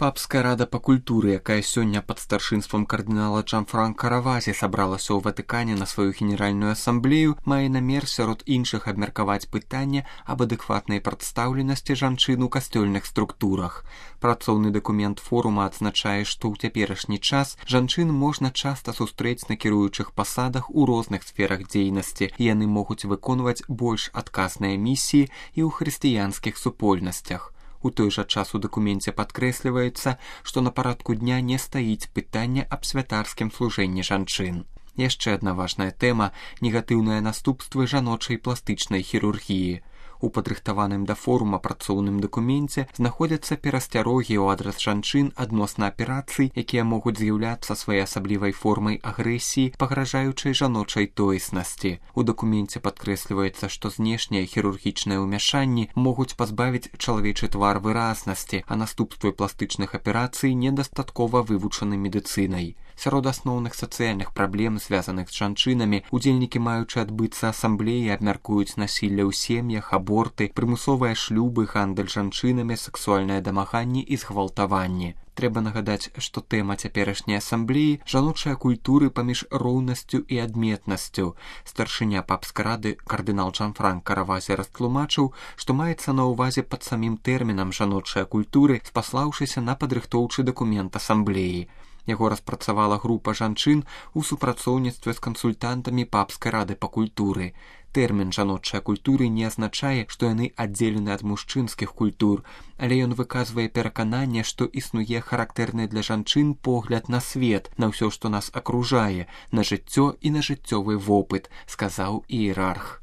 Папская рада па культуры, якая сёння пад старшынствам кардынала Джанфранка Равазі сабралася ў Ватыкане на сваю генеральную асамблею, мае намер сярод іншых абмеркаваць пытанне аб адэкватнай прадстаўленасці жанчын у касцёльных структурах. Працоўны дакумент форума адзначае, што ў цяперашні час жанчын можна часта сустрэць на кіруючых пасадах у розных сферах дзейнасці, і яны могуць выконваць больш адказныя місіі і ў хрысціянскіх супольнасцях. У той жа час у дакуменце падкрэсліваецца, што на парадку дня не стаіць пытанне аб святарскім служэнні жанчын. Яшчэ адна важная тэма – негатыўныя наступствы жаночай пластычнай хірургіі. У падрыхтаваным да форума працоўным дакуменце знаходзяцца перасцярогі ў адрас жанчын адносна аперацый, якія могуць з'яўляцца своеасаблівай формай агрэсіі, пагражаючай жаночай тоеснасці. У дакуменце падкрэсліваецца, што знешнія хірургічныя ўмяшанні могуць пазбавіць чалавечы твар выразнасці, а наступствы пластычных аперацый недастаткова вывучаны медыцынай. Сярод асноўных сацыяльных праблем, звязаных з жанчынамі, удзельнікі, маючы адбыцца асамблеі, абмяркуюць насілле ў сем'ях, аборты, прымусовыя шлюбы, гандаль жанчынамі, сексуальнае дамаганне і згвалтаванне. Трэба нагадаць, што тэма цяперашняй асамблеі – жаночыя культуры паміж роўнасцю і адметнасцю. Старшыня папскай рады кардынал Джанфранка Равазі растлумачыў, што маецца на ўвазе пад самім тэрмінам жаночыя культуры, спаслаўшыся на падрыхтоўчы дакумент асамблеі. Яго распрацавала група жанчын у супрацоўніцтве з кансультантамі папскай рады па культуры. Тэрмін жаночыя культуры не азначае, што яны аддзелены ад мужчынскіх культур, але ён выказвае перакананне, што існуе характэрны для жанчын погляд на свет, на ўсё, што нас акружае, на жыццё і на жыццёвы вопыт, сказаў іерарх.